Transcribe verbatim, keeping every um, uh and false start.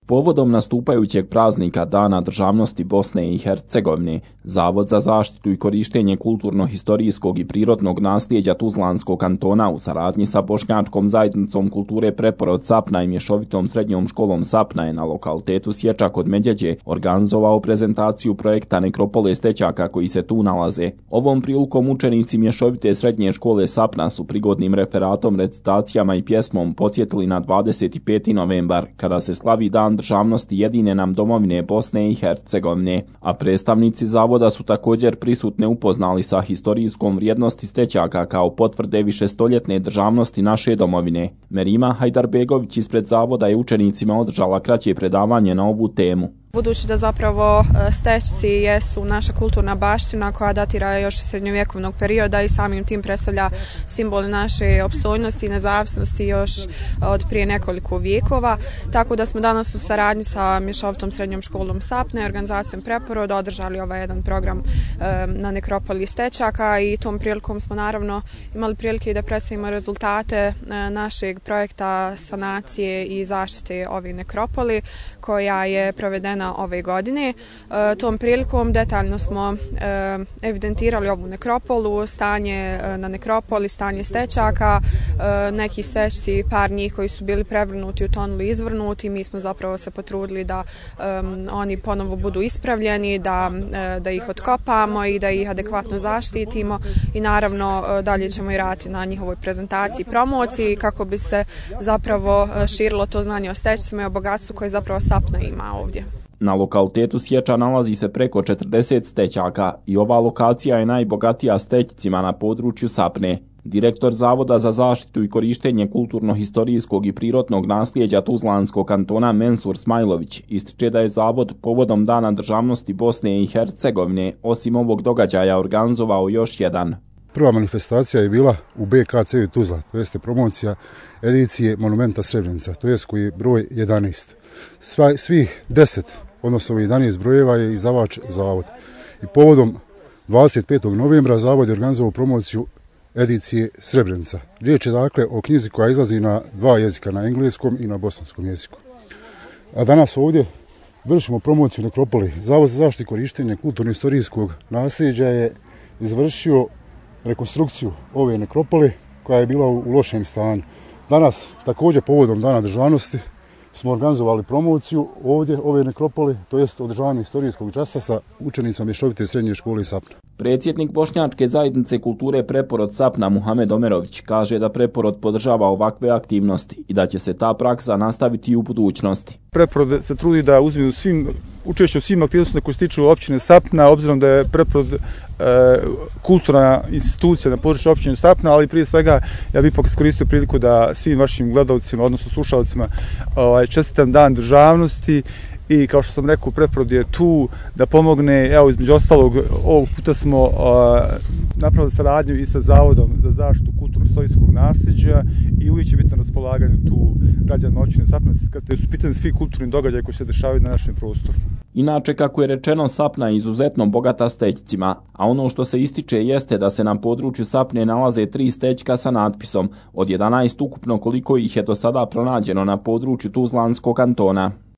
Povodom nastupajućeg praznika Dana državnosti Bosne i Hercegovine, Zavod za zaštitu i korištenje kulturno-historijskog i prirodnog nasljeđa Tuzlanskog kantona u saradnji sa Bošnjačkom zajednicom kulture Preporod Sapna i mješovitom srednjom školom Sapna je na lokalitetu Sječa kod Medjeđe organizovao prezentaciju projekta Nekropole stećaka koji se tu nalaze. Ovom prilikom učenici mješovite srednje škole Sapna su prigodnim referatom, recitacijama i pjesmom podsjetili na dvadeset peti novembar, kada se slavi Dan državnosti jedine nam domovine Bosne i Hercegovine, a predstavnici zavoda su također prisutne upoznali sa historijskom vrijednosti stećaka kao potvrde višestoljetne državnosti naše domovine. Merima Hajdarbegović ispred zavoda je učenicima održala kraće predavanje na ovu temu. Budući da zapravo stećci jesu naša kulturna baština koja datira još iz srednjovjekovnog perioda i samim tim predstavlja simbol naše opstojnosti i nezavisnosti još od prije nekoliko vijekova, tako da smo danas u saradnji sa mješovitom srednjom školom Sapna i organizacijom Preporod održali ovaj jedan program na nekropoli stećaka i tom prilikom smo naravno imali prilike da predstavimo rezultate našeg projekta sanacije i zaštite ove nekropoli koja je provedena ove godine. E, tom prilikom detaljno smo e, evidentirali ovu nekropolu, stanje e, na nekropoli, stanje stećaka, e, neki stećci, par njih koji su bili prevrnuti, utonuli, izvrnuti. Mi smo zapravo se potrudili da e, oni ponovo budu ispravljeni, da, e, da ih otkopamo i da ih adekvatno zaštitimo i naravno e, dalje ćemo i raditi na njihovoj prezentaciji i promociji kako bi se zapravo širilo to znanje o stećcima i o bogatstvu koje zapravo Sapna ima ovdje. Na lokalitetu Sječa nalazi se preko četrdeset stećaka i ova lokacija je najbogatija stećcima na području Sapne. Direktor Zavoda za zaštitu i korištenje kulturno-historijskog i prirodnog nasljeđa Tuzlanskog kantona Mensur Smajlović ističe da je Zavod povodom Dana državnosti Bosne i Hercegovine osim ovog događaja organizovao još jedan. Prva manifestacija je bila u B K C Tuzla, to jeste promocija edicije Monumenta Srebrenica, to jest koji je broj jedanaest. Sva, svih deset, odnosno jedanaest brojeva je izdavač Zavod. I povodom dvadeset petog novembra Zavod je organizovao promociju edicije Srebrenica. Riječ je dakle o knjizi koja izlazi na dva jezika, na engleskom i na bosanskom jeziku. A danas ovdje vršimo promociju nekropoli. Zavod za zaštitu i korištenje kulturno-historijskog nasljeđa je izvršio rekonstrukciju ove nekropole koja je bila u lošem stanju. Danas, također povodom Dana državnosti, smo organizovali promociju ovdje ove nekropole, to jest održavanje historijskog časa sa učenicom mješovite srednje škole Sapna. Predsjednik Bošnjačke zajednice kulture Preporod Sapna Muhamed Omerović kaže da Preporod podržava ovakve aktivnosti i da će se ta praksa nastaviti i u budućnosti. Preporod se trudi da uzme u svim učešće u svim aktivnostima koje se tiču općine Sapna, obzirom da je Preporod e, kulturna institucija na području općine Sapna, ali prije svega ja bih ipak iskoristio priliku da svim vašim gledalcima, odnosno slušalcima, ovaj, čestitam Dan državnosti. I kao što sam rekao, Preporod je tu da pomogne. Evo, između ostalog, ovog puta smo uh, napravili saradnju i sa Zavodom za zaštitu kulturno-historijskog nasljeđa i uvijek će biti na raspolaganju tu građanima općine Sapna kada su pitani svi kulturni događaji koji se dešavaju na našem prostoru. Inače, kako je rečeno, Sapna je izuzetno bogata stećcima, a ono što se ističe jeste da se na području Sapne nalaze tri stećka sa natpisom od jedanaest ukupno koliko ih je do sada pronađeno na području Tuzlanskog kantona.